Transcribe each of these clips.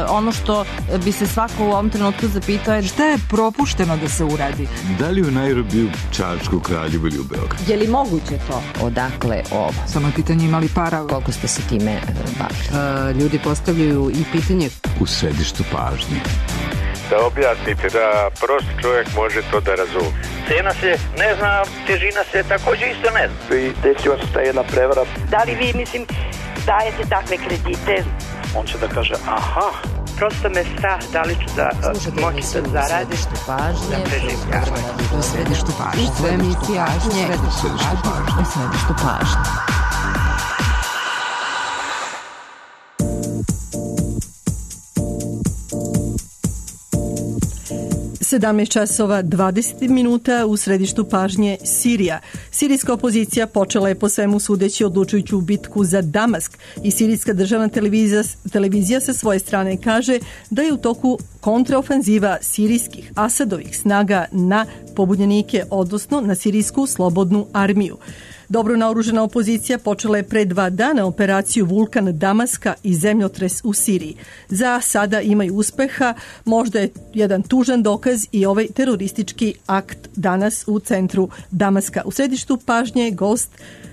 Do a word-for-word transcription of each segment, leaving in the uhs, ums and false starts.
ono što bi se svako u ovom trenutku zapitao je šta je propušteno da se uradi? Da li u Nairobiju, Čačku, Kraljevu ili u Beogradu? Je li moguće to? Odakle ovo? Samo je pitanje imali para. Koliko ste se time bavili? Uh, ljudi postavljaju i pitanje. U središtu pažnje. Da objasnite, da prost čovjek može to da razumije. Cena se ne zna, težina se također isto ne zna. I desila se ta jedna prevara. Da li vi, mislim, dajete takve kredite? On će da kaže, aha. Prosto me strah, da li ću da moći da zaradim. U središtu pažnje. U središtu pažnje. U središtu pažnje. U središtu pažnje. sedamnaest časova dvadeset minuta u središtu pažnje Sirija. Sirijska opozicija počela je po svemu sudeći odlučujuću bitku za Damask i sirijska državna televizija, televizija sa svoje strane kaže da je u toku kontraofanziva sirijskih Asadovih snaga na pobunjenike, odnosno na sirijsku slobodnu armiju. Dobro naoružana opozicija počela je pre dva dana operaciju Vulkan Damaska i zemljotres u Siriji. Za sada imaju uspeha, možda je jedan tužan dokaz i ovaj teroristički akt danas u centru Damaska. U središtu pažnje gost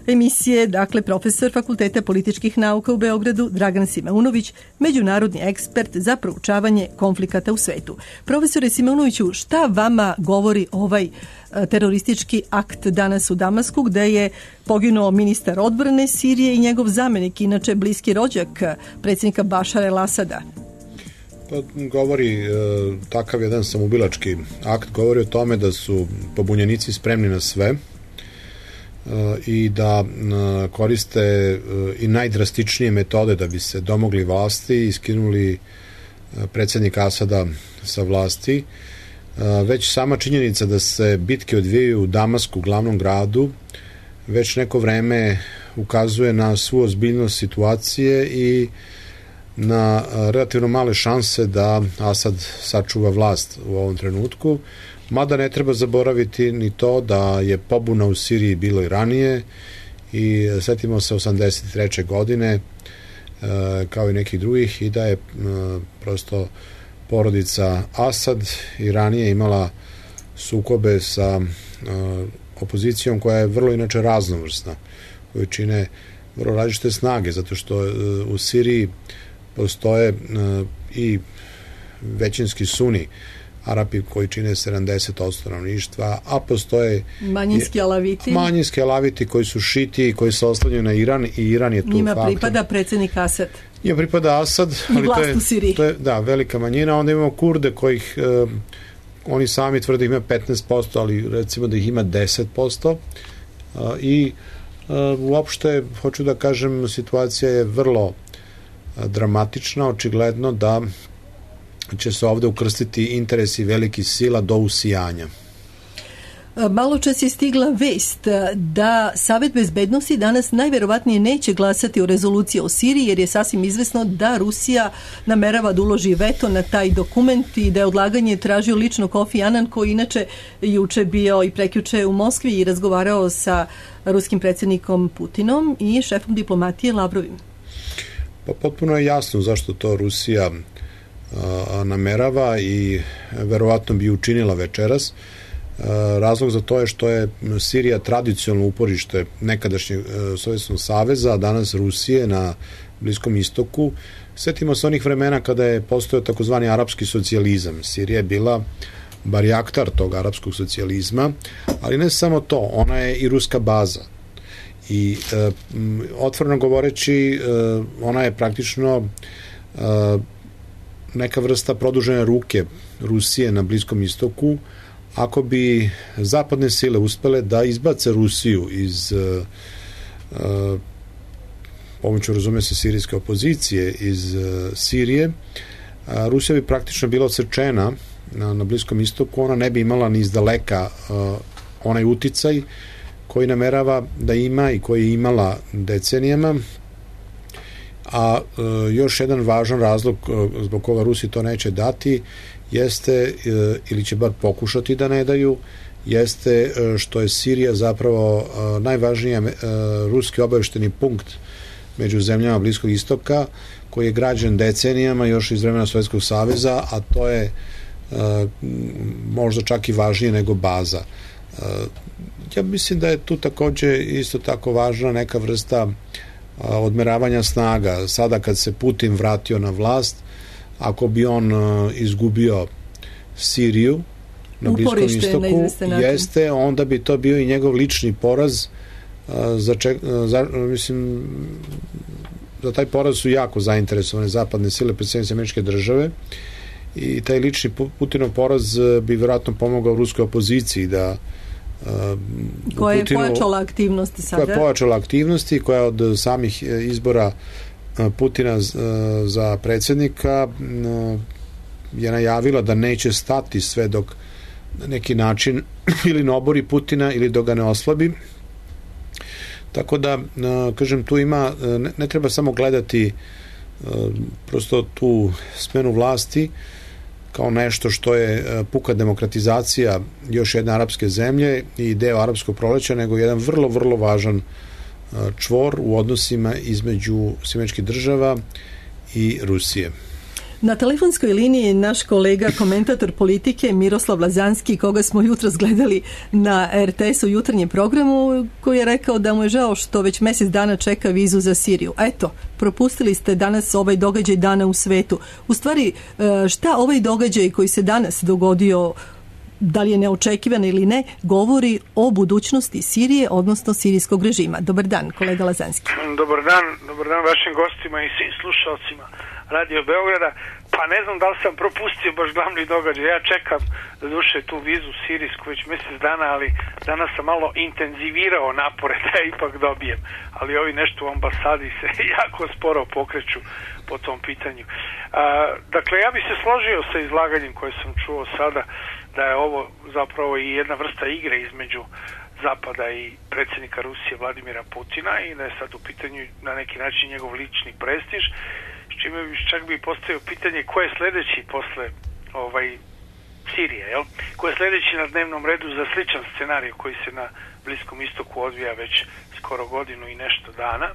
emisije, dakle profesor Fakulteta političkih nauka u Beogradu Dragan Simeunović, međunarodni ekspert za proučavanje konflikata u svetu. Profesore Simeunoviću, šta vama govori ovaj teroristički akt danas u Damasku, gde je poginuo ministar odbrane Sirije i njegov zamenik, inače bliski rođak predsjednika Bašara el-Asada? Pa govori, e, takav jedan samoubilački akt govori o tome da su pobunjenici spremni na sve e, i da e, koriste e, i najdrastičnije metode da bi se domogli vlasti i skinuli e, predsjednika Asada sa vlasti. Već sama činjenica da se bitke odvijaju u Damasku, glavnom gradu, već neko vreme ukazuje na svu ozbiljnost situacije i na relativno male šanse da Asad sačuva vlast u ovom trenutku. Mada ne treba zaboraviti ni to da je pobuna u Siriji bilo i ranije i setimo se osamdeset treće godine kao i nekih drugih i da je prosto porodica Asad i ranije imala sukobe sa uh, opozicijom koja je vrlo inače raznovrsna, koju čine vrlo različite snage, zato što uh, u Siriji postoje uh, i većinski suni Arapi koji čine sedamdeset posto stanovništva, a postoje manjinski alaviti. Manjinski alaviti koji su šiti i koji se oslanjaju na Iran i Iran je tu njima faktor. Pripada predsjednik Asad. Njima pripada Asad, ali to je, to je da, velika manjina. Onda imamo Kurde kojih eh, oni sami tvrde ima petnaest posto, ali recimo da ih ima deset posto eh, i eh, uopšte, hoću da kažem, situacija je vrlo eh, dramatična, očigledno da će se ovde ukrstiti interesi velikih sila do usijanja. Malo čas je stigla vest da Savet bezbednosti danas najverovatnije neće glasati o rezoluciji o Siriji, jer je sasvim izvesno da Rusija namerava da uloži veto na taj dokument i da je odlaganje tražio lično Kofi Anan, koji inače juče bio i prekjuče u Moskvi i razgovarao sa ruskim predsjednikom Putinom i šefom diplomatije Lavrovim. Pa potpuno je jasno zašto to Rusija a, namerava i verovatno bi učinila večeras. Razlog za to je što je Sirija tradicionalno uporište nekadašnjeg Sovjetskog saveza, a danas Rusije na Bliskom istoku. Sjetimo se onih vremena kada je postojao takozvani arapski socijalizam. Sirija je bila barjaktar tog arapskog socijalizma, ali ne samo to, ona je i ruska baza. I e, otvoreno govoreći, e, ona je praktično e, neka vrsta produžene ruke Rusije na Bliskom istoku. Ako bi zapadne sile uspele da izbace Rusiju iz uh, uh, pomoću, razume se, sirijske opozicije iz uh, Sirije, uh, Rusija bi praktično bila odsečena na, na Bliskom istoku, ona ne bi imala ni izdaleka uh, onaj uticaj koji namerava da ima i koji je imala decenijama, a uh, još jedan važan razlog uh, zbog koga Rusi to neće dati jeste, ili će bar pokušati da ne daju, jeste što je Sirija zapravo najvažniji ruski obavešteni punkt među zemljama Bliskog istoka, koji je građen decenijama još iz vremena Sovjetskog saveza, a to je uh, možda čak i važnije nego baza. Uh, ja mislim da je tu takođe isto tako važna neka vrsta uh, odmeravanja snaga. Sada kad se Putin vratio na vlast, ako bi on uh, izgubio Siriju na Bliskom istoku, jeste, onda bi to bio i njegov lični poraz. Uh, za, ček, uh, za, mislim, za taj poraz su jako zainteresovane zapadne sile, predstavnice Američke države, i taj lični Putinov poraz bi vjerojatno pomogao ruskoj opoziciji da uh, koja je Putinu, pojačala aktivnosti sada. Koja je pojačala aktivnosti, koja od samih izbora Putina za predsjednika je najavila da neće stati sve dok na neki način ili ne obori Putina ili dok ga ne oslabi. Tako da, kažem, tu ima, ne, ne treba samo gledati prosto tu smenu vlasti kao nešto što je puka demokratizacija još jedne arapske zemlje i deo arapskog proleća, nego jedan vrlo, vrlo važan čvor u odnosima između Američkih država i Rusije. Na telefonskoj liniji je naš kolega, komentator politike Miroslav Lazanski, koga smo jutros gledali na er te es u jutarnjem programu, koji je rekao da mu je žao što već mjesec dana čeka vizu za Siriju. Eto, propustili ste danas ovaj događaj dana u svetu. U stvari, šta ovaj događaj koji se danas dogodio, da li je neočekivan ili ne, govori o budućnosti Sirije, odnosno sirijskog režima. Dobar dan, kolega Lazanski. Dobar dan, dobar dan vašim gostima i svim slušalcima Radio Beograda. Pa ne znam da li sam propustio baš glavni događaj. Ja čekam da duše tu vizu sirijsku već mjesec dana, ali danas sam malo intenzivirao napore da ja ipak dobijem. Ali ovi nešto u ambasadi se jako sporo pokreću po tom pitanju. A, dakle, ja bih se složio sa izlaganjem koje sam čuo sada, da je ovo zapravo i jedna vrsta igre između Zapada i predsjednika Rusije Vladimira Putina i da je sad u pitanju na neki način njegov lični prestiž, s čime bi čak bi postavio pitanje ko je sljedeći posle ovaj, Sirije, jel? Ko je sljedeći na dnevnom redu za sličan scenarij koji se na Bliskom istoku odvija već skoro godinu i nešto dana.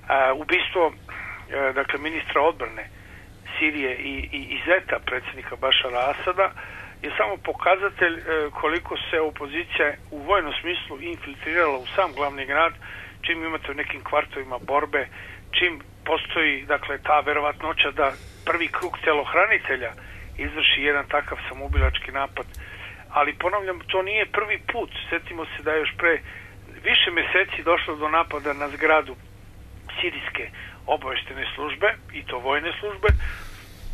A, ubistvo a, dakle ministra odbrane Sirije i, i, i zeta predsjednika Bašara Asada je samo pokazatelj e, koliko se opozicija u vojnom smislu infiltrirala u sam glavni grad, čim imate u nekim kvartovima borbe, čim postoji dakle ta verovatnoća da prvi krug telohranitelja izvrši jedan takav samoubilački napad. Ali ponavljam, to nije prvi put. Sjetimo se da je još pre više mjeseci došlo do napada na zgradu sirijske obavještajne službe, i to vojne službe,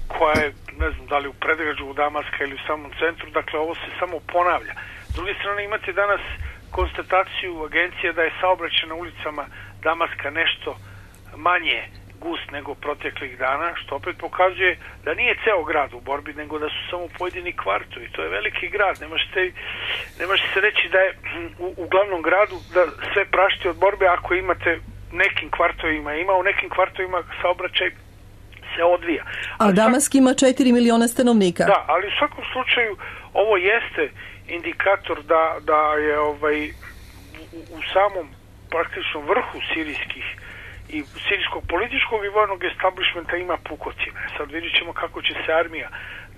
koja je, ne znam da li u predgrađu u Damaska ili u samom centru, dakle ovo se samo ponavlja. S druge strane imate danas konstataciju agencije da je saobraćaj na ulicama Damaska nešto manje gust nego proteklih dana, što opet pokazuje da nije ceo grad u borbi, nego da su samo pojedini kvartovi. To je veliki grad, ne možete, ne možete se reći da je u, u glavnom gradu da sve prašti od borbe ako imate nekim kvartovima, ima u nekim kvartovima saobraćaj se odvija. A Damask ima četiri miliona stanovnika. Da, ali u svakom slučaju ovo jeste indikator da, da je ovaj u, u samom praktičnom vrhu sirijskih i sirijskog političkog i vojnog establishmenta ima pukotine. Sad vidjet ćemo kako će se armija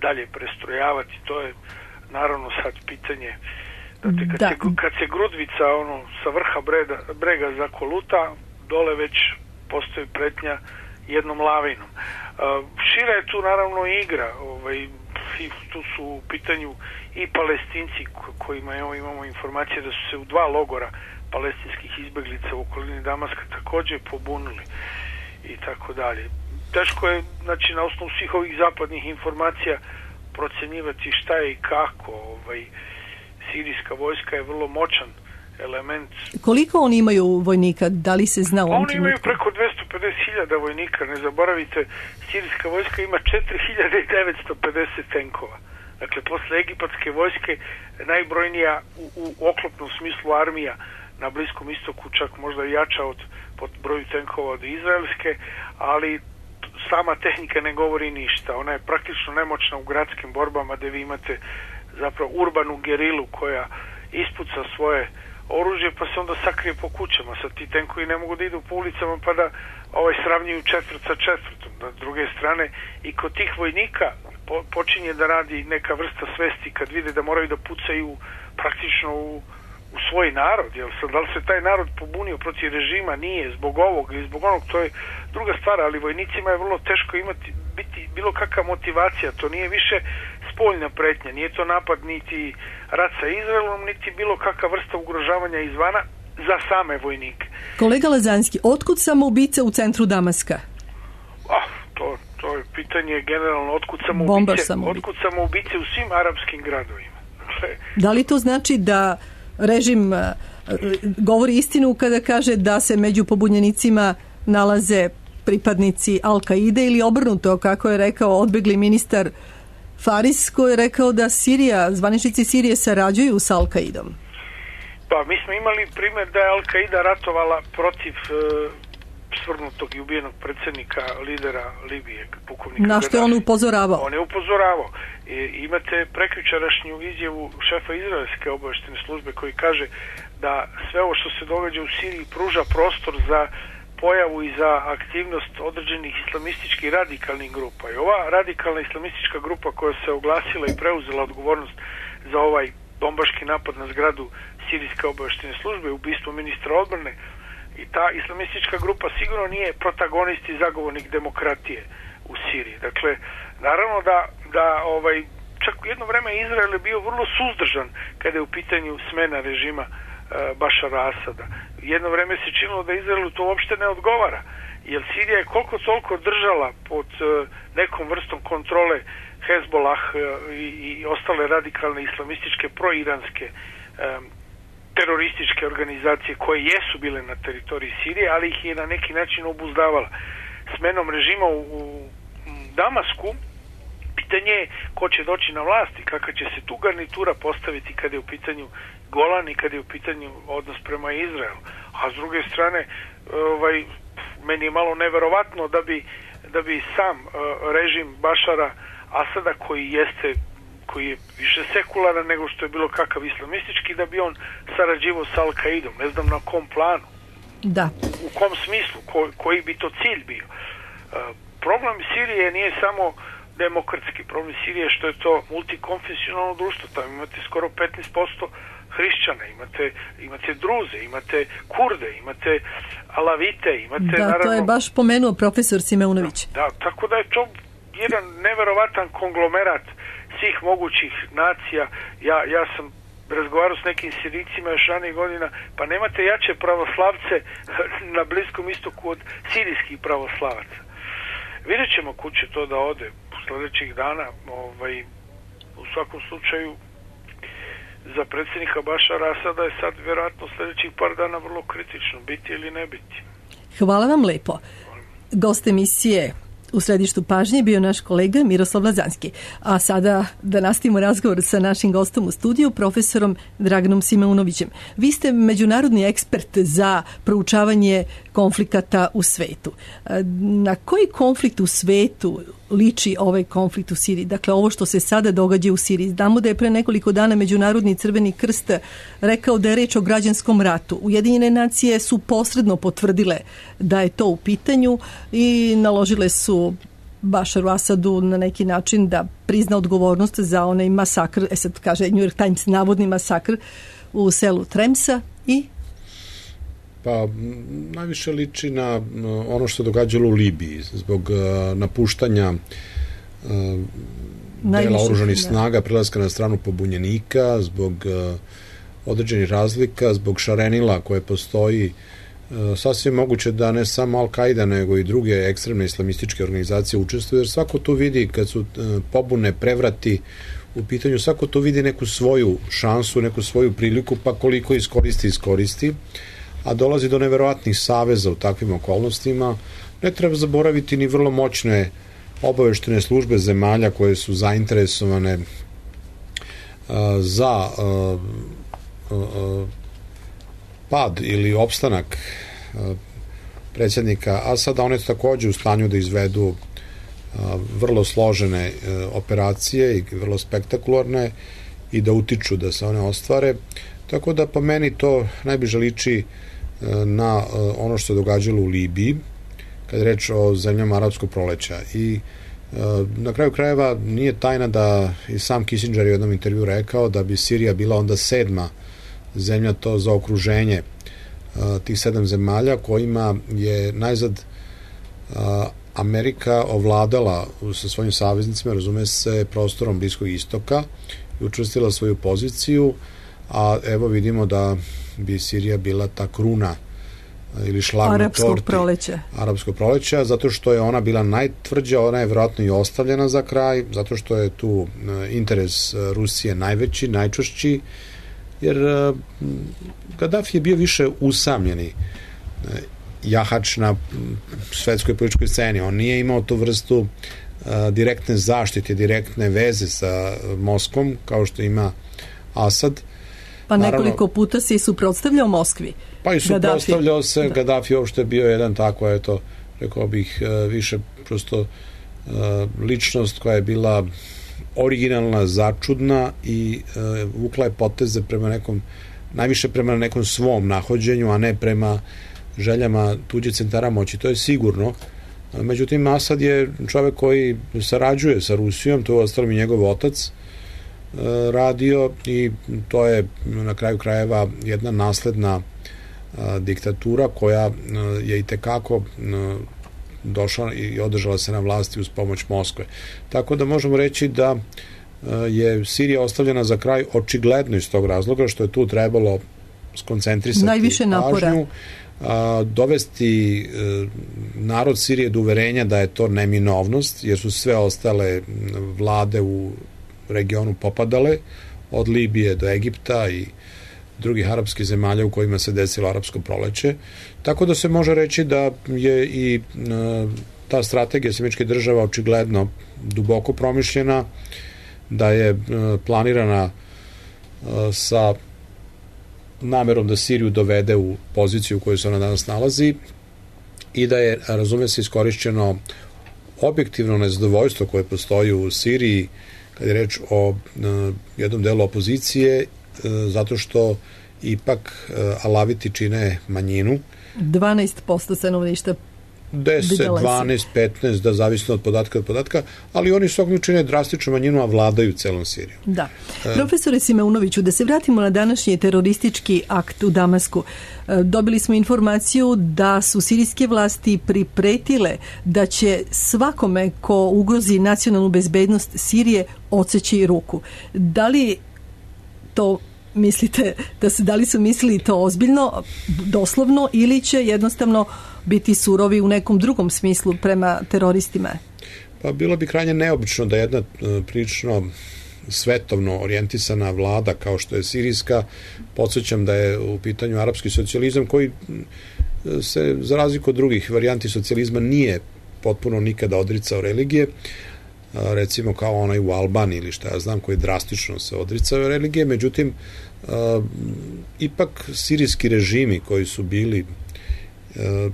dalje prestrojavati. To je naravno sad pitanje. Dakle, kad, da. se, kad se grudvica ono, sa vrha brega, brega zakoluta, dole već postoji pretnja jednom lavinom. Uh, šira je tu naravno igra, ovaj, i tu su u pitanju i Palestinci kojima evo, imamo informacije da su se u dva logora palestinskih izbeglica u okolini Damaska također pobunili i tako dalje. Teško je, znači, na osnovu svih ovih zapadnih informacija procenjivati šta je i kako. Ovaj, sirijska vojska je vrlo moćan element. Koliko oni imaju vojnika? Da li se zna u ovom Oni imaju preko dvesta pedeset hiljada vojnika. Ne zaboravite, sirijska vojska ima četiri hiljade devetsto pedeset tenkova. Dakle, posle egipatske vojske najbrojnija u, u oklopnom smislu armija na Bliskom istoku, čak možda jača od pod broju tenkova od izraelske, ali sama tehnika ne govori ništa. Ona je praktično nemoćna u gradskim borbama gdje vi imate zapravo urbanu gerilu koja ispuca svoje oružje pa se onda sakrije po kućama. Sad ti tenkovi ne mogu da idu po ulicama pa da ovaj sravnjuju četvrt sa četvrtom. Da, s druge strane i kod tih vojnika po, počinje da radi neka vrsta svesti kad vide da moraju da pucaju praktično u, u svoj narod. Jel sad, da li se taj narod pobunio protiv režima? Nije, zbog ovog ili zbog onog, to je druga stvar, ali vojnicima je vrlo teško imati biti bilo kakva motivacija, to nije više spoljna pretnja, nije to napad niti rat sa Izraelom, niti bilo kakva vrsta ugrožavanja izvana za same vojnike. Kolega Lazanski, otkud samoubice u centru Damaska? Ah, to, to je pitanje generalno, otkud samoubice, otkud samoubice u svim arapskim gradovima. Dakle, da li to znači da režim uh, govori istinu kada kaže da se među pobunjenicima nalaze pripadnici Al-Kaide ili obrnuto, kako je rekao odbegli ministar Faris, koji je rekao da Sirija, zvaničnici Sirije sarađuju sa Al-Kaidom? Pa, mi smo imali primjer da je Al-Kaida ratovala protiv e, svrgnutog i ubijenog predsjednika, lidera Libije, pukovnika. Na što je on upozoravao? On je upozoravao. E, imate prekjučerašnju izjavu šefa izraelske obaveštene službe koji kaže da sve ovo što se događa u Siriji pruža prostor za pojavu i za aktivnost određenih islamističkih radikalnih grupa. I ova radikalna islamistička grupa koja se oglasila i preuzela odgovornost za ovaj bombaški napad na zgradu sirijske obaveštene službe, ubistvo ministra odbrane, i ta islamistička grupa sigurno nije protagonist i zagovornik demokratije u Siriji. Dakle, naravno da, da ovaj, čak jedno vreme Izrael je bio vrlo suzdržan kada je u pitanju smena režima Bašara Asada. Jedno vreme se činilo da Izraelu to uopšte ne odgovara, jer Sirija je koliko toliko držala pod nekom vrstom kontrole Hezbollah i, i ostale radikalne islamističke proiranske um, terorističke organizacije koje jesu bile na teritoriji Sirije, ali ih je na neki način obuzdavala. Smenom režima u, u Damasku pitanje je ko će doći na vlast i kakva će se tu garnitura postaviti kada je u pitanju Golan i kada je u pitanju odnos prema Izraelu. A s druge strane, ovaj, meni je malo neverovatno da bi, da bi sam uh, režim Bašara Asada, koji jeste, koji je više sekularan nego što je bilo kakav islamistički, da bi on sarađivao sa Al-Kaidom. Ne znam na kom planu. Da. U kom smislu, ko, koji bi to cilj bio. Uh, problem Sirije nije samo demokratski problem Sirije, što je to multikonfesionalno društvo. Tamo imate skoro petnaest posto hrišćana, imate, imate druze, imate kurde, imate alavite, imate da, naravno... to je baš pomenuo profesor Simeunović. Da, da, tako da je to jedan neverovatan konglomerat svih mogućih nacija. Ja, ja sam razgovarao s nekim Sirijcima još ranih godina, pa nemate jače pravoslavce na Bliskom istoku od sirijskih pravoslavaca. Vidjet ćemo kud će to da ode sljedećih dana. Ovaj, u svakom slučaju za predsjednika Bašara Asada je sad vjerojatno sljedećih par dana vrlo kritično, biti ili ne biti. Hvala vam lepo. Gost emisije u središtu pažnje bio naš kolega Miroslav Lazanski. A sada da nastavimo razgovor sa našim gostom u studiju, profesorom Draganom Simeunovićem. Vi ste međunarodni ekspert za proučavanje konflikata u svetu. Na koji konflikt u svetu liči ovaj konflikt u Siriji? Dakle, ovo što se sada događa u Siriji. Znamo da je pre nekoliko dana Međunarodni Crveni krst rekao da je reč o građanskom ratu. Ujedinjene nacije su posredno potvrdile da je to u pitanju i naložile su Bašaru Asadu na neki način da prizna odgovornost za onaj masakr, e sad kaže New York Times, navodni masakr u selu Tremsa i Pa najviše liči na ono što se događalo u Libiji zbog uh, napuštanja uh, dela oružanih snaga, prelaska na stranu pobunjenika, zbog uh, određenih razlika, zbog šarenila koje postoji. Uh, sasvim moguće da ne samo Al-Kaida nego i druge ekstremne islamističke organizacije učestvuju, jer svako tu vidi kad su uh, pobune, prevrati u pitanju, svako tu vidi neku svoju šansu, neku svoju priliku, pa koliko iskoristi, iskoristi. A dolazi do neverovatnih saveza u takvim okolnostima. Ne treba zaboraviti ni vrlo moćne obaveštene službe zemalja koje su zainteresovane uh, za uh, uh, pad ili opstanak uh, predsjednika Asada. One su također u stanju da izvedu uh, vrlo složene uh, operacije i vrlo spektakularne i da utiču da se one ostvare. Tako da po meni to najbliže liči na ono što se događalo u Libiji, kad je reč o zemljama arapskog proleća. I na kraju krajeva nije tajna da i sam Kissinger je u jednom intervju rekao da bi Sirija bila onda sedma zemlja to za okruženje tih sedam zemalja kojima je najzad Amerika ovladala sa svojim saveznicima, razume se, prostorom Bliskog istoka i učvrstila svoju poziciju, a evo vidimo da bi Sirija bila ta kruna ili šlag na torti arapskog proleća. Arapskog proleća, zato što je ona bila najtvrđa, ona je vjerojatno i ostavljena za kraj, zato što je tu interes Rusije najveći, najčvršći, jer Gaddafi je bio više usamljeni jahač na svetskoj političkoj sceni. On nije imao tu vrstu uh, direktne zaštite, direktne veze sa Moskvom, kao što ima Asad. Pa nekoliko Naravno, puta se i suprotstavljao Moskvi. Pa i suprotstavljao se, da. Gaddafi uopšte bio jedan tako, eto, rekao bih, više prosto uh, ličnost koja je bila originalna, začudna i uh, vukla je poteze prema nekom, najviše prema nekom svom nahođenju, a ne prema željama tuđe centara moći, to je sigurno. Međutim, Asad je čovjek koji sarađuje sa Rusijom, to je ostalo i njegov otac radio i to je na kraju krajeva jedna nasledna diktatura koja je i tekako došla i održala se na vlasti uz pomoć Moskve. Tako da možemo reći da je Sirija ostavljena za kraj očigledno iz tog razloga što je tu trebalo skoncentrisati najviše napora. Pažnju, a, dovesti e, narod Sirije do uverenja da je to neminovnost, jer su sve ostale vlade u regionu popadale, od Libije do Egipta i drugih arapskih zemalja u kojima se desilo arapsko proleće. Tako da se može reći da je i e, ta strategija Sjedinjenih Država očigledno duboko promišljena, da je e, planirana e, sa namerom da Siriju dovede u poziciju u kojoj se ona danas nalazi i da je, razume se, iskorišćeno objektivno nezadovoljstvo koje postoji u Siriji kad je reč o uh, jednom delu opozicije, uh, zato što ipak uh, Alaviti čine manjinu. dvanaest posto stanovništva deset, dvanaest, petnaest, da zavisno od podatka od podatka, ali oni svakog čine drastičnu manjinu, a vladaju celom Sirijom. Da. Profesore Simeunoviću, da se vratimo na današnji teroristički akt u Damasku. Dobili smo informaciju da su sirijske vlasti pripretile da će svakome ko ugrozi nacionalnu bezbednost Sirije odseći ruku. Da li to mislite, da se, da li su mislili to ozbiljno, doslovno, ili će jednostavno biti surovi u nekom drugom smislu prema teroristima? Pa bilo bi krajnje neobično da jedna prilično svetovno orijentisana vlada kao što je sirijska, podsjećam da je u pitanju arapski socijalizam koji se za razliku od drugih varijanti socijalizma nije potpuno nikada odricao religije, recimo kao onaj u Albaniji ili šta ja znam, koji drastično se odricao religije, međutim uh, ipak sirijski režimi koji su bili uh,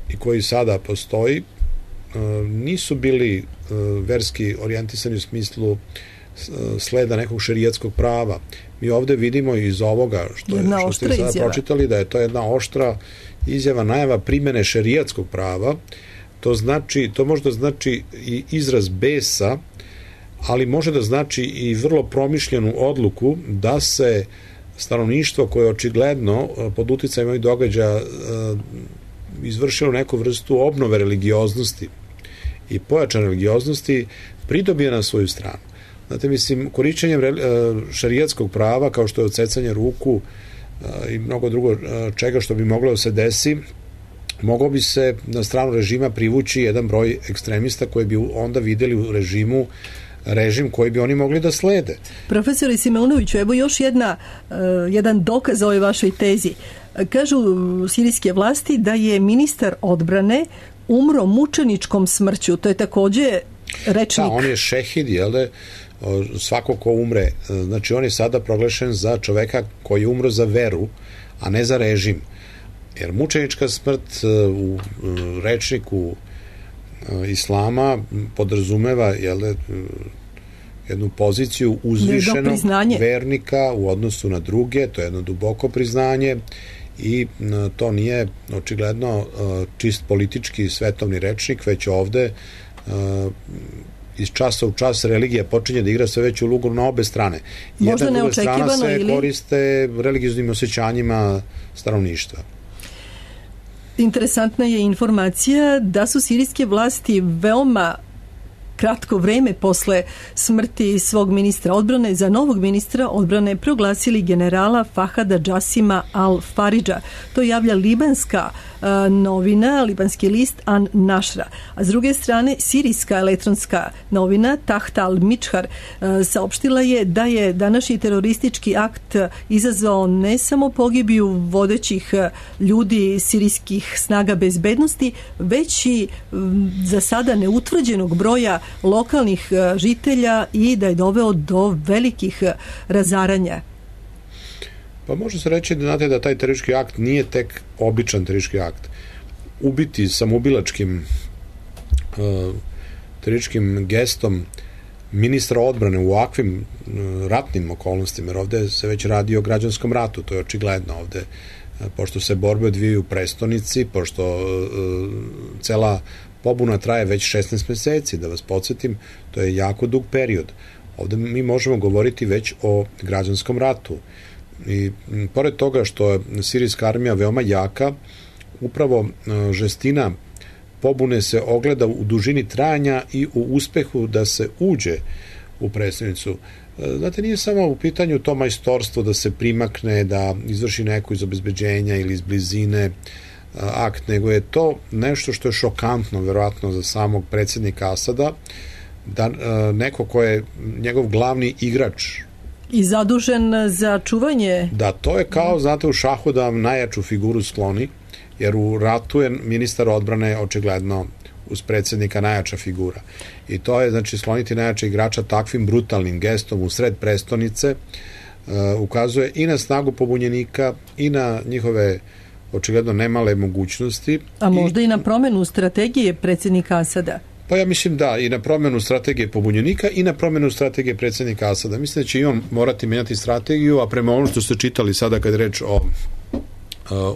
i koji sada postoji uh, nisu bili uh, verski orijentisani u smislu uh, sleda nekog šerijatskog prava. Mi ovde vidimo iz ovoga što, je, što ste sada izjava. pročitali da je to jedna oštra izjava, najava primene šerijatskog prava. To znači, to možda znači i izraz besa, ali može da znači i vrlo promišljenu odluku da se stanovništvo koje očigledno pod uticajem ovih događaja izvršilo neku vrstu obnove religioznosti i pojačane religioznosti pridobije na svoju stranu. Znate, mislim, korišćenjem šerijatskog prava kao što je odsecanje ruku i mnogo drugo čega što bi moglo da se desi, mogao bi se na stranu režima privući jedan broj ekstremista koji bi onda videli u režimu režim koji bi oni mogli da slede. Profesore Simeunoviću, evo još jedna, uh, jedan dokaz o ovoj vašoj tezi. Kažu sirijske vlasti da je ministar odbrane umro mučeničkom smrću. To je takođe rečnik. Da, on je šehid, jel da, svako ko umre. Znači, on je sada proglašen za čoveka koji je umro za veru, a ne za režim. Jer mučenička smrt u rečniku islama podrazumeva, jel, jednu poziciju uzvišenog vernika u odnosu na druge, to je jedno duboko priznanje i to nije očigledno čist politički svetovni rečnik, već ovde iz časa u čas religija počinje da igra sve veću ulogu na obe strane. Možda neočekivano strana se ili... koriste religioznim osjećanjima stanovništva. Interesantna je informacija da su sirijske vlasti veoma kratko vreme posle smrti svog ministra odbrane za novog ministra odbrane proglasili generala Fahada Jasima al-Faridža. To javlja libanska uh, novina, libanski list An Našra. A s druge strane, sirijska elektronska novina Taht al-Mičhar uh, saopštila je da je današnji teroristički akt izazvao ne samo pogibiju vodećih uh, ljudi sirijskih snaga bezbednosti, već i um, za sada neutvrđenog broja lokalnih žitelja i da je doveo do velikih razaranja. Pa može se reći da, znate, da taj teroristički akt nije tek običan teroristički akt. Ubiti samoubilačkim uh, terorističkim gestom ministra odbrane u ovakvim uh, ratnim okolnostima, jer ovde se već radi o građanskom ratu, to je očigledno ovde, uh, pošto se borbe odvijaju u prestonici, pošto uh, cela pobuna traje već šesnaest meseci, da vas podsjetim, to je jako dug period. Ovde mi možemo govoriti već o građanskom ratu. I pored toga što je sirijska armija veoma jaka, upravo žestina pobune se ogleda u dužini trajanja i u uspehu da se uđe u prestonicu. Znate, nije samo u pitanju to majstorstvo da se primakne, da izvrši neko iz obezbeđenja ili iz blizine akt, nego je to nešto što je šokantno verovatno za samog predsjednika Asada, da neko ko je njegov glavni igrač i zadužen za čuvanje. Da, to je kao, znate, u šahu da vam najjaču figuru skloni, jer u ratu je ministar odbrane očigledno uz predsjednika najjača figura. I to je, znači, skloniti najjača igrača takvim brutalnim gestom u sred prestonice uh, ukazuje i na snagu pobunjenika i na njihove očigledno nemale mogućnosti. A možda i, i na promenu strategije predsjednika Asada? Pa ja mislim da, i na promenu strategije pobunjenika i na promenu strategije predsjednika Asada. Mislim da će i on morati menjati strategiju, a prema ono što ste čitali sada kad je reč o uh,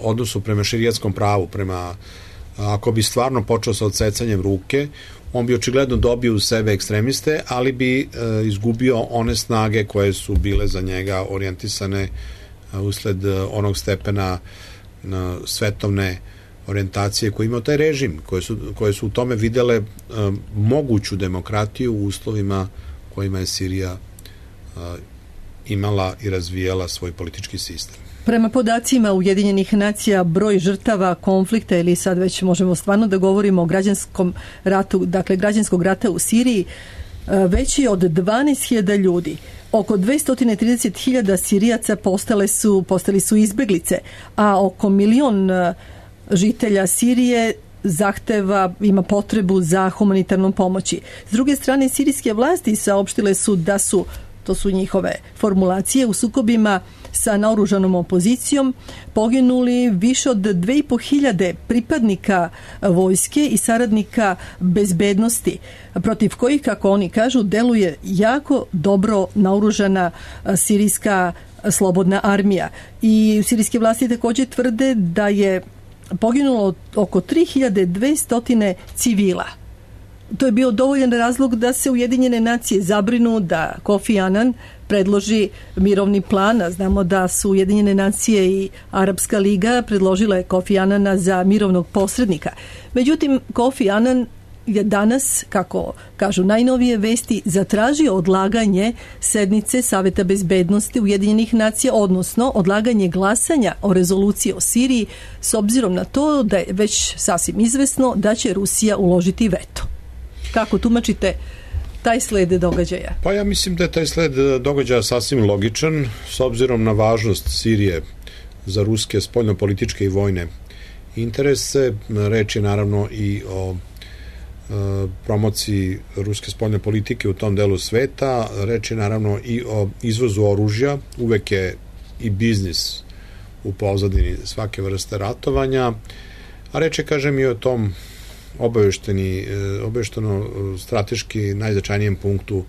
odnosu prema šerijatskom pravu, prema, uh, ako bi stvarno počeo sa odsecanjem ruke, on bi očigledno dobio u sebe ekstremiste, ali bi uh, izgubio one snage koje su bile za njega orijentisane uh, usled uh, onog stepena na svetovne orijentacije koje imao taj režim, koje su, koje su u tome videle um, moguću demokratiju u uslovima kojima je Sirija uh, imala i razvijala svoj politički sistem. Prema podacima Ujedinjenih nacija, broj žrtava konflikta, ili sad već možemo stvarno da govorimo o građanskom ratu, dakle građanskog rata u Siriji, veći od dvanaest hiljada ljudi. Oko dvesta trideset hiljada Sirijaca postale su, postali su izbeglice, a oko milion žitelja Sirije zahteva, ima potrebu za humanitarnom pomoći. S druge strane, sirijske vlasti saopštile su da su, to su njihove formulacije, u sukobima sa naoružanom opozicijom poginuli više od dve i po hiljade pripadnika vojske i saradnika bezbednosti, protiv kojih, kako oni kažu, deluje jako dobro naoružana sirijska slobodna armija. I sirijske vlasti također tvrde da je poginulo oko tri hiljade dvesta civila. To je bio dovoljan razlog da se Ujedinjene nacije zabrinu da Kofi Anan predloži mirovni plan. Znamo da su Ujedinjene nacije i Arapska liga predložile Kofi Anana za mirovnog posrednika. Međutim, Kofi Anan je danas, kako kažu najnovije vesti, zatražio odlaganje sednice Saveta bezbednosti Ujedinjenih nacija, odnosno odlaganje glasanja o rezoluciji o Siriji, s obzirom na to da je već sasvim izvesno da će Rusija uložiti veto. Kako tumačite taj sled događaja? Pa ja mislim da je taj sled događaja sasvim logičan, s obzirom na važnost Sirije za ruske spoljnopolitičke i vojne interese. Reč je naravno i o e, promociji ruske spoljne politike u tom delu sveta. Reč je naravno i o izvozu oružja. Uvek je i biznis u pozadini svake vrste ratovanja. A reč je, kažem, i o tom obavešteni, obavešteno strateški najznačajnijem punktu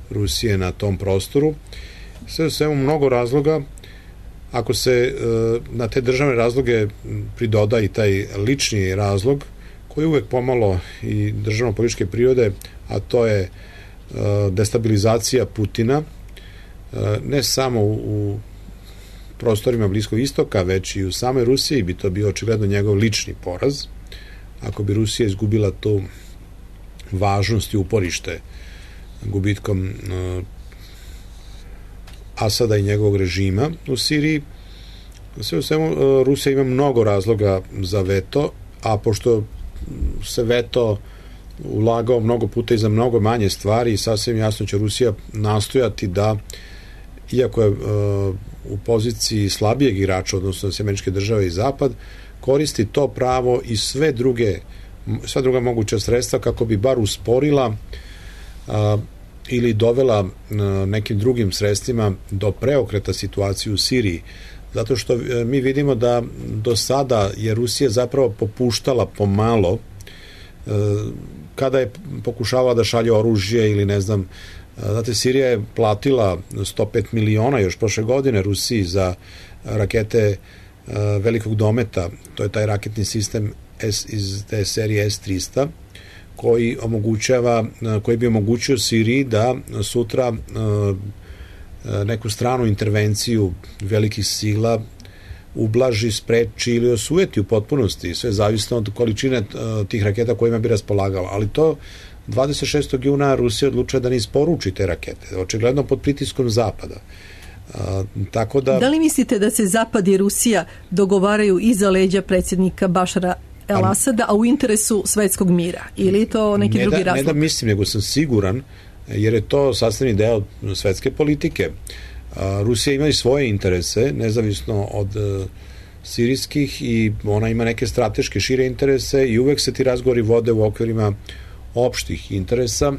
Rusije na tom prostoru. Sve u svemu mnogo razloga. Ako se na te državne razloge pridoda i taj lični razlog, koji je uvek pomalo i državno-političke prirode, a to je destabilizacija Putina, ne samo u prostorima Bliskog istoka, već i u samoj Rusiji, bi to bio očigledno njegov lični poraz. Ako bi Rusija izgubila tu važnost i uporište gubitkom Asada i njegovog režima u Siriji, sve u svemu Rusija ima mnogo razloga za veto, a pošto se veto ulagao mnogo puta i za mnogo manje stvari, sasvim jasno će Rusija nastojati da, iako je u poziciji slabijeg igrača, odnosno Američke države i Zapad, koristi to pravo i sve druge sva druga moguća sredstva kako bi bar usporila a, ili dovela a, nekim drugim sredstvima do preokreta situacije u Siriji. Zato što a, mi vidimo da do sada je Rusija zapravo popuštala pomalo a, kada je pokušavala da šalje oružje ili ne znam. Znate, Sirija je platila sto pet miliona još prošle godine Rusiji za rakete a, velikog dometa, to je taj raketni sistem S, iz te serije S tristo, koji omogućava, koji bi omogućio Siriji da sutra neku stranu intervenciju velikih sila ublaži, spreči ili osujeti u potpunosti, sve zavisno od količine tih raketa kojima bi raspolagala. Ali to dvadeset šestog juna Rusija odlučila da ne isporuči te rakete, očigledno pod pritiskom Zapada. A, tako da... Da li mislite da se Zapad i Rusija dogovaraju iza leđa predsjednika Bašara El Asada, a u interesu svetskog mira? Ili to neki ne drugi da, razlog? Ne da mislim, nego sam siguran, jer je to sastavni deo svetske politike. A, Rusija ima i svoje interese, nezavisno od a, sirijskih, i ona ima neke strateške šire interese i uvek se ti razgovori vode u okvirima opštih interesa,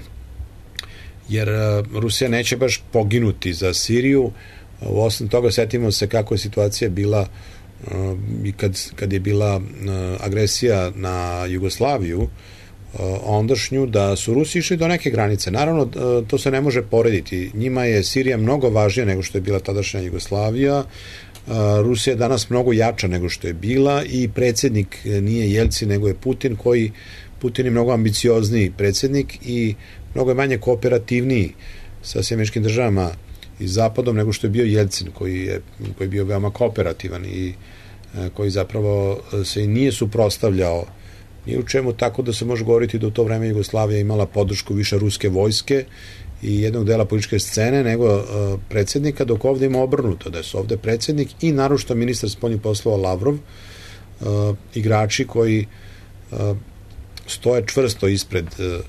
jer a, Rusija neće baš poginuti za Siriju. U osnovu toga setimo se kako je situacija bila i kad, kad je bila agresija na Jugoslaviju ondašnju, da su Rusi išli do neke granice. Naravno, to se ne može porediti. Njima je Sirija mnogo važnija nego što je bila tadašnja Jugoslavija. Rusija je danas mnogo jača nego što je bila i predsjednik nije Jelcin, nego je Putin, koji Putin je mnogo ambiciozniji predsjednik i mnogo je manje kooperativniji sa Američkim državama i Zapadom nego što je bio Jelcin, koji je, koji je bio veoma kooperativan i koji zapravo se i nije suprotstavljao ni u čemu, tako da se može govoriti da u to vreme Jugoslavija imala podršku više ruske vojske i jednog dela političke scene nego uh, predsjednika, dok ovdje ima obrnuto, da su ovdje predsjednik i naročito ministar spoljnih poslova Lavrov, uh, igrači koji uh, stoje čvrsto ispred uh,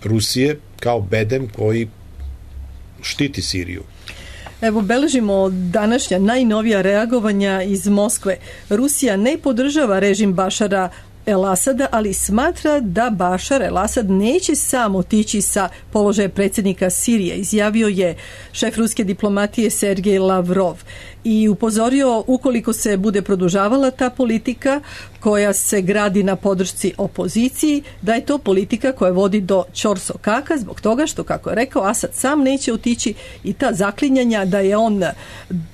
Rusije kao bedem koji štiti Siriju. Evo, beležimo današnja najnovija reagovanja iz Moskve. Rusija ne podržava režim Bašara El Asada, ali smatra da Bašar El Asad neće sam otići sa položaja predsjednika Sirije, izjavio je šef ruske diplomatije Sergej Lavrov i upozorio ukoliko se bude produžavala ta politika koja se gradi na podršci opoziciji, da je to politika koja vodi do ćorsokaka, zbog toga što, kako je rekao, Asad sam neće otići i ta zaklinjanja da je on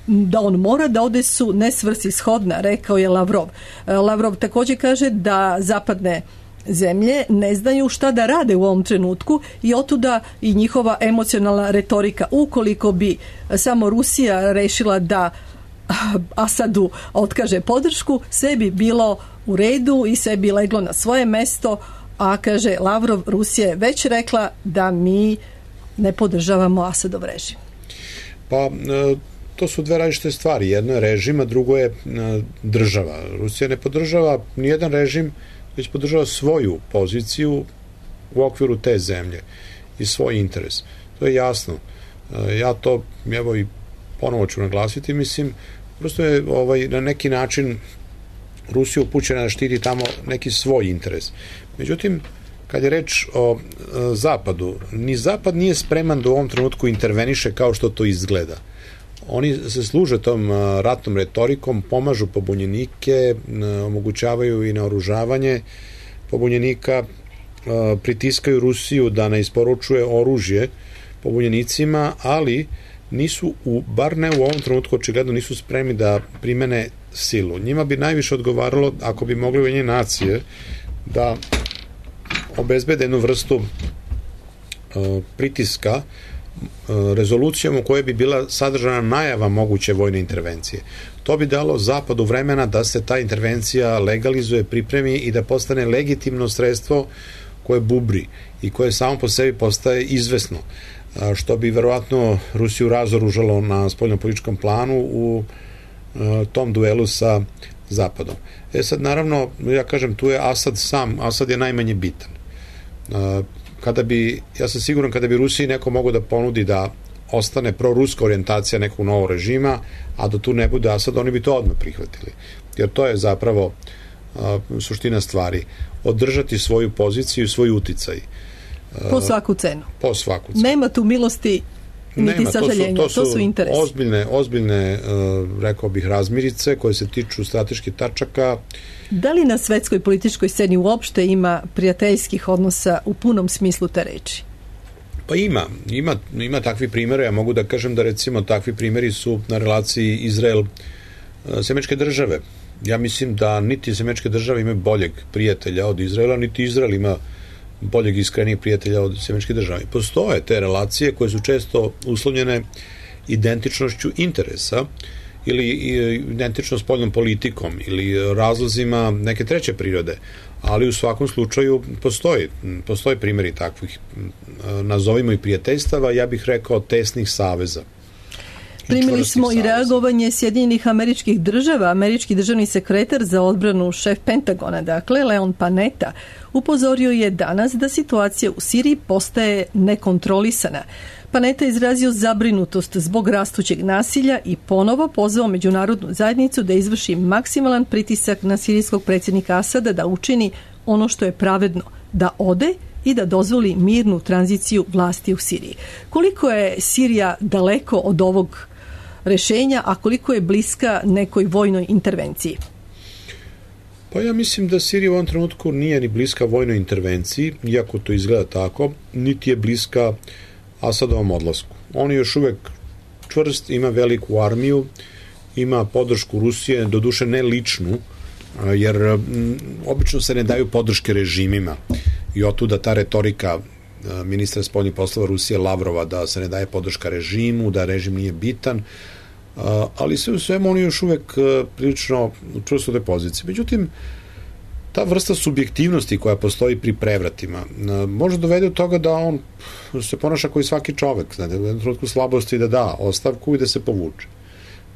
da on mora da ode su nesvrsishodna, rekao je Lavrov. Lavrov također kaže da zapadne zemlje ne znaju šta da rade u ovom trenutku i otuda i njihova emocionalna retorika. Ukoliko bi samo Rusija rešila da Asadu otkaže podršku, sve bi bilo u redu i sve bi leglo na svoje mesto, a kaže Lavrov, Rusija je već rekla da mi ne podržavamo Asadov režim. Pa to su dve različite stvari. Jedno je režim, a drugo je država. Rusija ne podržava nijedan režim, već podržava svoju poziciju u okviru te zemlje i svoj interes. To je jasno. Ja to, evo i ponovo ću naglasiti, mislim, prosto je ovaj, na neki način Rusija upućena da štiti tamo neki svoj interes. Međutim, kad je reč o e, Zapadu, ni Zapad nije spreman da u ovom trenutku interveniše kao što to izgleda. Oni se služe tom a, ratnom retorikom, pomažu pobunjenike, a, omogućavaju i naoružavanje pobunjenika, pritiskaju Rusiju da ne isporučuje oružje pobunjenicima, ali nisu, u, bar ne u ovom trenutku, očigledno nisu spremni da primene silu. Njima bi najviše odgovaralo, ako bi mogli Ujedinjene nacije da obezbede jednu vrstu uh, pritiska uh, rezolucijom u kojoj bi bila sadržana najava moguće vojne intervencije. To bi dalo Zapadu vremena da se ta intervencija legalizuje, pripremi i da postane legitimno sredstvo koje bubri i koje samo po sebi postaje izvesno, što bi verovatno Rusiju razoružalo na spoljnopolitičkom planu u tom duelu sa Zapadom. E sad, naravno, ja kažem, tu je Asad sam, Asad je najmanje bitan. Kada bi, ja sam siguran, kada bi Rusiji neko mogo da ponudi da ostane proruska orijentacija nekog novog režima, a da tu ne bude Asad, oni bi to odmah prihvatili. Jer to je zapravo a, suština stvari. Održati svoju poziciju i svoj uticaj. Po svaku cenu. Po svaku cenu. Nema tu milosti niti Nema, sažaljenja, to su, to su, to su interesi. Ozbiljne, ozbiljne uh, rekao bih, razmirice koje se tiču strateških tačaka. Da li na svetskoj političkoj sceni uopšte ima prijateljskih odnosa u punom smislu te reči? Pa ima, ima, ima takvi primjera. Ja mogu da kažem da recimo takvi primjeri su na relaciji Izrael-Američke države. Ja mislim da niti Američke države imaju boljeg prijatelja od Izraela, niti Izrael ima boljeg iskrenijeg prijatelja od Američke države. Postoje te relacije koje su često uslovljene identičnošću interesa ili identično spoljnom politikom ili razlozima neke treće prirode, ali u svakom slučaju postoji, postoji primjeri takvih, nazovimo i prijateljstava, ja bih rekao tesnih saveza. Primili smo i reagovanje Sjedinjenih Američkih Država. Američki državni sekretar za odbranu, šef Pentagona, dakle, Leon Panetta, upozorio je danas da situacija u Siriji postaje nekontrolisana. Panetta je izrazio zabrinutost zbog rastućeg nasilja i ponovo pozvao međunarodnu zajednicu da izvrši maksimalan pritisak na sirijskog predsjednika Asada da učini ono što je pravedno, da ode i da dozvoli mirnu tranziciju vlasti u Siriji. Koliko je Sirija daleko od ovog rešenja, a koliko je bliska nekoj vojnoj intervenciji? Pa ja mislim da Sirija u ovom trenutku nije ni bliska vojnoj intervenciji, iako to izgleda tako, niti je bliska Asadovom odlasku. On je još uvek čvrst, ima veliku armiju, ima podršku Rusije, doduše ne ličnu, jer m, obično se ne daju podrške režimima i otuda ta retorika ministra spoljnih poslova Rusije Lavrova da se ne daje podrška režimu, da režim nije bitan, ali sve u svemu oni još uvek prilično čvrsto u toj poziciji. Međutim, ta vrsta subjektivnosti koja postoji pri prevratima može dovede do toga da on se ponaša kao i svaki čovek, znate, u jednom trenutku slabosti da da ostavku i da se povuče.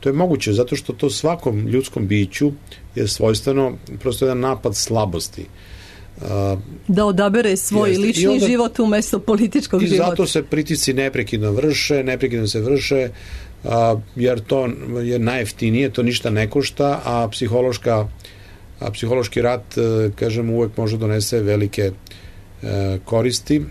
To je moguće zato što to svakom ljudskom biću je svojstveno prosto jedan napad slabosti. Da odabere svoj jeste, lični onda, život umesto političkog i života. I zato se pritisci neprekidno vrše, neprekidno se vrše, a, jer to je najjeftinije, to ništa ne košta, a psihološka a psihološki rat, kažem, uvek može donese velike e, koristi.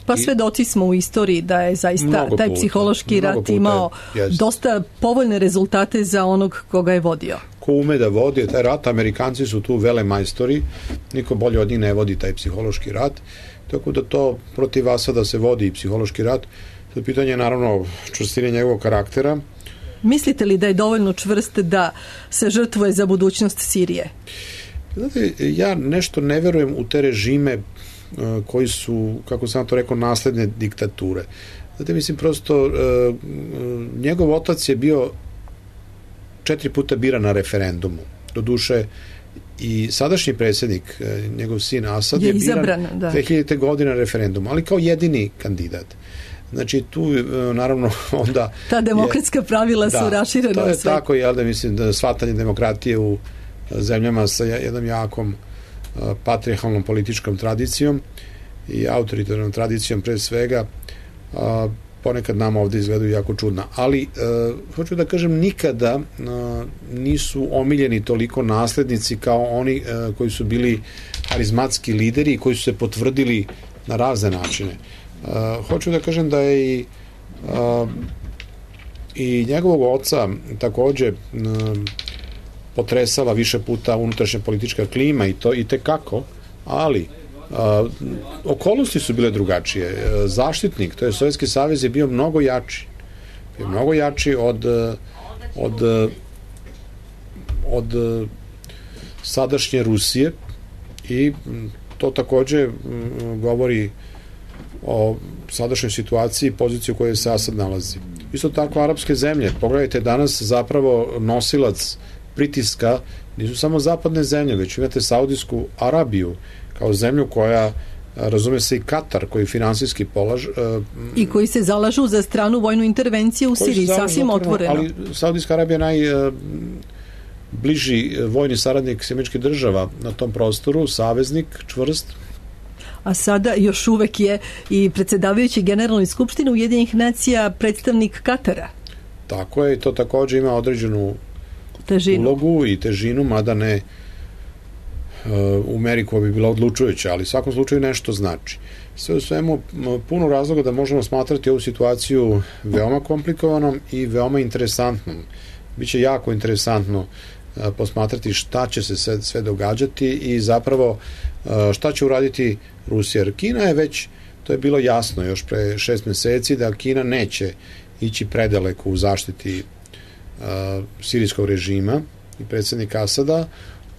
Pa svedoci smo u istoriji da je zaista taj puta, psihološki rat puta, imao jest. dosta povoljne rezultate za onog koga je vodio. Ko ume da vodi taj rat, Amerikanci su tu velemajstori, niko bolje od njih ne vodi taj psihološki rat, tako da to protiv Asada se vodi i psihološki rat. Sad pitanje je naravno čvrstine njegovog karaktera. Mislite li da je dovoljno čvrst da se žrtvuje za budućnost Sirije? Znate, ja nešto ne verujem u te režime koji su, kako sam to rekao, nasledne diktature. Znate, mislim, prosto njegov otac je bio četiri puta biran na referendumu. Doduše, i sadašnji predsjednik, njegov sin Asad, je, je izabran, biran da. dve hiljadite godine na referendumu, ali kao jedini kandidat. Znači, tu, naravno, onda... Ta demokratska je, pravila da, su raširena. To je tako, jel da, mislim, da shvatanje demokratije u zemljama sa jednom jakom patrijarhalnom političkom tradicijom i autoritarnom tradicijom pre svega, a, ponekad nam ovde izgledaju jako čudna. Ali, a, hoću da kažem, nikada a, nisu omiljeni toliko naslednici kao oni a, koji su bili harizmatski lideri i koji su se potvrdili na razne načine. A, hoću da kažem da je i a, i njegovog oca takođe a, potresala više puta unutrašnja politička klima i to i te kako, ali A, okolnosti su bile drugačije. Zaštitnik, to je Sovjetski savez, je bio mnogo jači. Bio mnogo jači od od od sadašnje Rusije i to takođe govori o sadašnjoj situaciji i poziciji u kojoj se Asad nalazi. Isto tako arapske zemlje, pogledajte danas zapravo nosilac pritiska nisu samo zapadne zemlje, već imate Saudijsku Arabiju kao zemlju koja, razume se, i Katar koji finansijski polaž i koji se zalažu za stranu vojnu intervenciju u Siriji, sasvim otvoreno. Ali Saudijska Arabija je naj bliži vojni saradnik Sjedinjenih Država na tom prostoru, saveznik čvrst. A sada još uvek je i predsedavajući Generalnoj skupštini Ujedinjenih nacija predstavnik Katara. Tako je, i to takođe ima određenu težinu. Ulogu i težinu, mada ne u meri koja bi bila odlučujuća, ali u svakom slučaju nešto znači. Sve u svemu puno razloga da možemo smatrati ovu situaciju veoma komplikovanom i veoma interesantnom. Biće jako interesantno posmatrati šta će se sve, sve događati i zapravo šta će uraditi Rusija. Jer Kina je već, to je bilo jasno još pre šest meseci, da Kina neće ići predaleko u zaštiti uh, sirijskog režima i predsjednika Asada.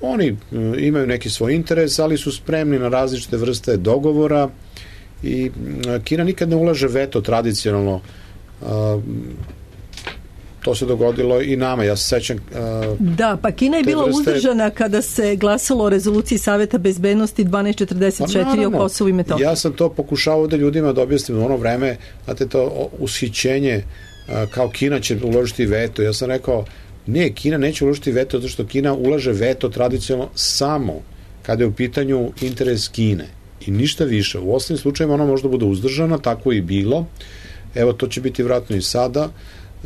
Oni uh, imaju neki svoj interes, ali su spremni na različite vrste dogovora i uh, Kina nikad ne ulaže veto tradicionalno. Uh, to se dogodilo i nama, ja se sećam. Uh, da, pa Kina je bila vrste... uzdržana kada se glasalo o rezoluciji Saveta bezbednosti dvanaest četrdeset četiri pa, o Kosovu i Metohiji. Ja sam to pokušao ovde ljudima da objasnim u ono vreme, znate, to ushićenje uh, kao Kina će uložiti veto. Ja sam rekao, ne, Kina neće uložiti veto zato što Kina ulaže veto tradicionalno samo kada je u pitanju interes Kine i ništa više. U ostalim slučajima ona možda bude uzdržana, tako i bilo. Evo, to će biti vratno i sada.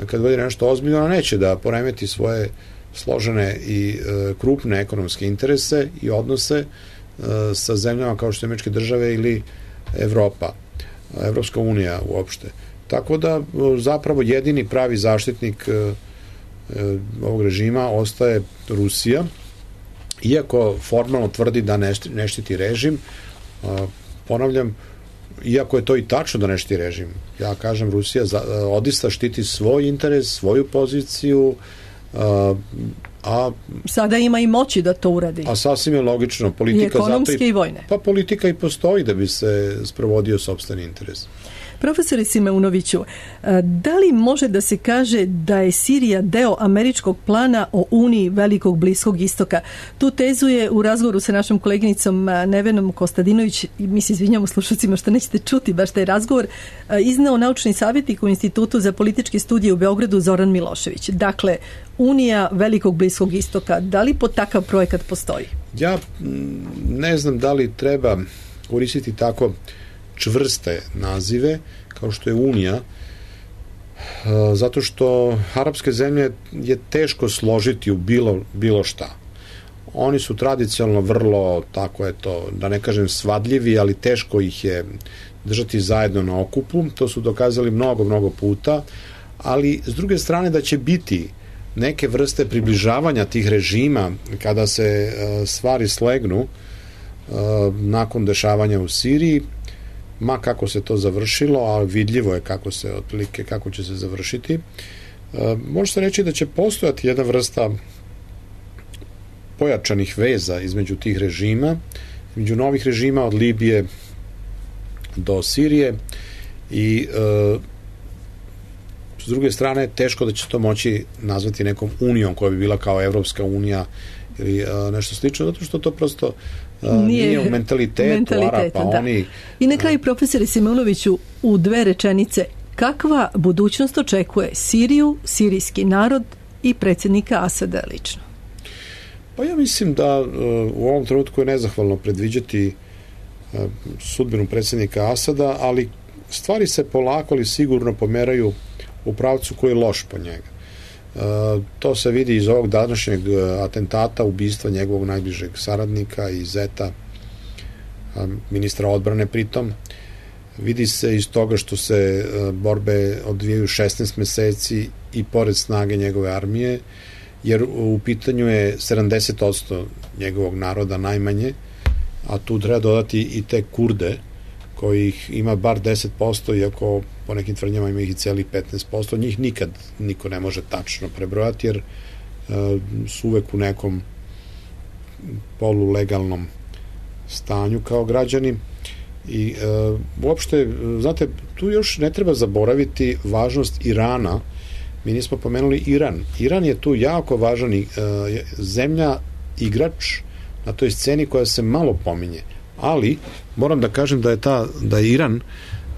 Kad vodi nešto ozbiljno, ona neće da poremeti svoje složene i e, krupne ekonomske interese i odnose e, sa zemljama kao što je Američke države ili Evropa, Evropska unija uopšte. Tako da zapravo jedini pravi zaštitnik e, e, ovog režima ostaje Rusija, iako formalno tvrdi da ne, ne štiti režim. E, ponavljam, iako je to i tačno da ne štiti režim. Ja kažem, Rusija za, odista štiti svoj interes, svoju poziciju, a, a sada ima i moći da to uradi. A sasvim je logično. Politika I ekonomske zato i, i vojne. Pa politika i postoji da bi se sprovodio sopstveni interes. Profesore Simeunoviću, da li može da se kaže da je Sirija deo američkog plana o Uniji Velikog Bliskog Istoka? Tu tezu je u razgovoru sa našom koleginicom Nevenom Kostadinović, i mi se izvinjamo slušalcima što nećete čuti baš taj razgovor, izneo naučni savjetnik u Institutu za političke studije u Beogradu Zoran Milošević. Dakle, Unija Velikog Bliskog Istoka, da li pod takav projekat postoji? Ja ne znam da li treba koristiti tako čvrste nazive kao što je Unija, zato što arapske zemlje je teško složiti u bilo, bilo šta. Oni su tradicionalno vrlo, tako je to, da ne kažem svadljivi, ali teško ih je držati zajedno na okupu. To su dokazali mnogo, mnogo puta, ali s druge strane da će biti neke vrste približavanja tih režima kada se uh, stvari slegnu uh, nakon dešavanja u Siriji, ma kako se to završilo, a vidljivo je kako se otprilike, kako će se završiti. Uh, može se reći da će postojati jedna vrsta pojačanih veza između tih režima, između novih režima od Libije do Sirije i uh, s druge strane teško da će to moći nazvati nekom unijom koja bi bila kao Evropska unija ili uh, nešto slično, zato što to prosto uh, nije, nije u mentalitetu, mentalitetu Arapa. Da. Oni, I na kraju, profesore Simeunoviću, u dve rečenice, kakva budućnost očekuje Siriju, sirijski narod i predsjednika Asada lično? Pa ja mislim da uh, u ovom trenutku je nezahvalno predviđati uh, sudbinu predsjednika Asada, ali stvari se polako ali sigurno pomeraju u pravcu koji je loš po njega. E, to se vidi iz ovog današnjeg atentata, ubistva njegovog najbližeg saradnika i zeta, ministra odbrane pritom. Vidi se iz toga što se borbe odvijaju šesnaest meseci i pored snage njegove armije, jer u pitanju je sedamdeset posto njegovog naroda najmanje a tu treba dodati i te Kurde, kojih ima bar deset posto, iako po nekim tvrdnjama ima ih i celih petnaest posto, njih nikad niko ne može tačno prebrojati, jer uh, su uvek u nekom polulegalnom stanju kao građani. I uh, uopšte, znate, tu još ne treba zaboraviti važnost Irana. Mi nismo pomenuli Iran. Iran je tu jako važan uh, zemlja, igrač na toj sceni koja se malo pominje. Ali moram da kažem da je ta da je Iran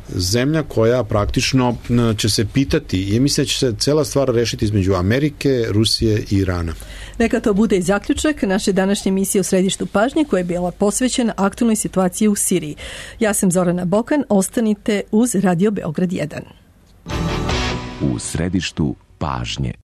zemlja koja praktično će se pitati i mislim da će se cela stvar rešiti između Amerike, Rusije i Irana. Neka to bude i zaključak naše današnje emisije u središtu pažnje koja je bila posvećena aktualnoj situaciji u Siriji. Ja sam Zorana Bokan, ostanite uz Radio Beograd jedan. U središtu pažnje.